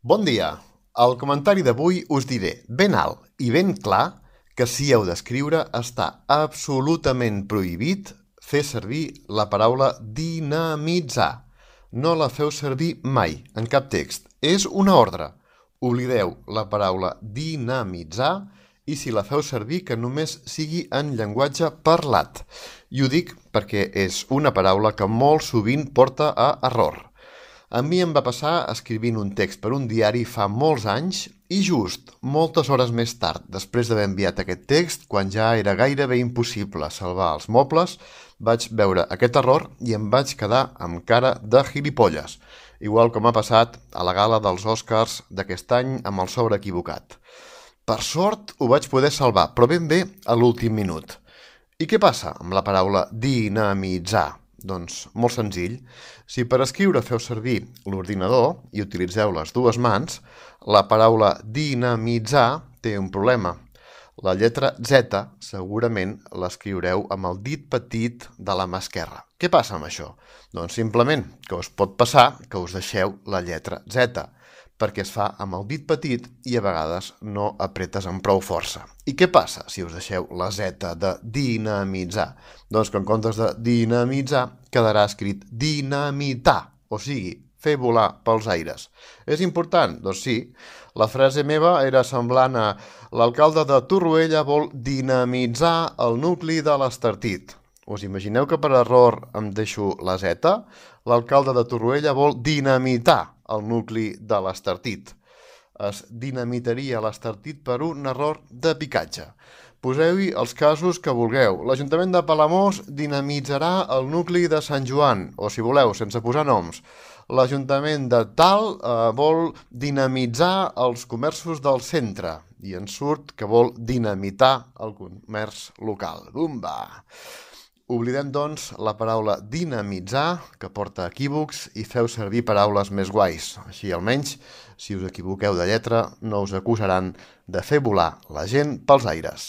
Bon dia! Al comentari d'avui us diré ben alt i ben clar que si heu d'escriure està absolutament prohibit fer servir la paraula dinamitzar. No la feu servir mai, en cap text. És una ordre. Oblideu la paraula dinamitzar i si la feu servir que només sigui en llenguatge parlat. I ho dic perquè és una paraula que molt sovint porta a error. A mi em va passar escrivint un text per un diari fa molts anys i just moltes hores més tard, després d'haver enviat aquest text, quan ja era gairebé impossible salvar els mobles, vaig veure aquest error i em vaig quedar amb cara de gilipolles, igual com ha passat a la gala dels Oscars d'aquest any amb el sobre equivocat. Per sort ho vaig poder salvar, però ben bé a l'últim minut. I què passa amb la paraula dinamitzar? Doncs molt senzill. Si per escriure feu servir l'ordinador i utilitzeu les dues mans, la paraula dinamitzar té un problema. La lletra Z segurament l'escriureu amb el dit petit de la mà esquerra. Què passa amb això? Doncs simplement que us pot passar que us deixeu la lletra Z, perquè es fa amb el dit petit i a vegades no apretes amb prou força. I què passa si us deixeu la Z de dinamitzar? Doncs que en comptes de dinamitzar quedarà escrit dinamitar, o sigui, fer volar pels aires. És important? Doncs sí. La frase meva era semblant a l'alcalde de Torroella vol dinamitzar el nucli de l'Estartit. Us imagineu que per error em deixo la Z? L'alcalde de Torroella vol dinamitar el nucli de l'Estartit. Es dinamitaria l'Estartit per un error de picatge. Poseu-hi els casos que vulgueu. L'Ajuntament de Palamós dinamitzarà el nucli de Sant Joan, o si voleu, sense posar noms. L'Ajuntament de tal vol dinamitzar els comerços del centre i ens surt que vol dinamitar el comerç local. Bumba! Oblidem, doncs, la paraula dinamitzar, que porta equívocs, i feu servir paraules més guais. Així, almenys, si us equivoqueu de lletra, no us acusaran de fer volar la gent pels aires.